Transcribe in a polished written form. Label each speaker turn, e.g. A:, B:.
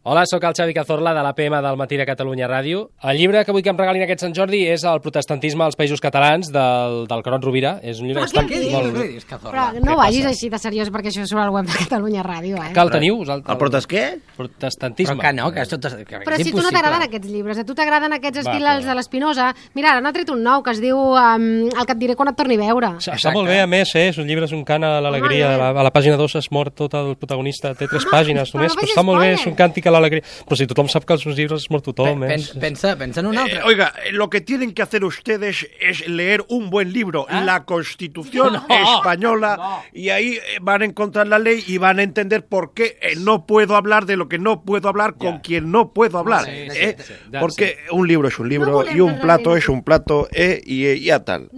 A: Hola, sóc el Xavi Cazorla de l'APM del Matí de Catalunya Ràdio. El llibre que vull que em regalin aquest Sant Jordi és El protestantisme als països catalans del Coron Rovira. És un llibre que està molt bé.
B: Però no vagis així de seriós perquè això surt al web de Catalunya Ràdio, eh?
A: Que el teniu?
C: El protest què?
A: Protestantisme.
D: Però que no, que és tot...
B: Però si tu no t'agraden aquests llibres, a tu t'agraden aquests estils de l'Espinosa, mira, ara n'ha tret un nou que es diu El que et diré quan et torni a veure.
A: Està molt bé, a més, és un llibre, és un cant a l'alegria. A la pàgina 2 es mor tot el protagonista, té 3 pàgines només, però està molt bé, és un càntic a l'alegria. Però si tothom sap que els seus llibres es mor tothom.
D: Pensa en un altre.
C: Oiga, lo que tienen que hacer ustedes es leer un buen libro, la Constitución Española, y ahí van a encontrar la ley y van a entender por qué no puedo hablar de lo que no puedo hablar con quien no puedo hablar. Porque un libro es un libro y un plato es un plato y ya tal.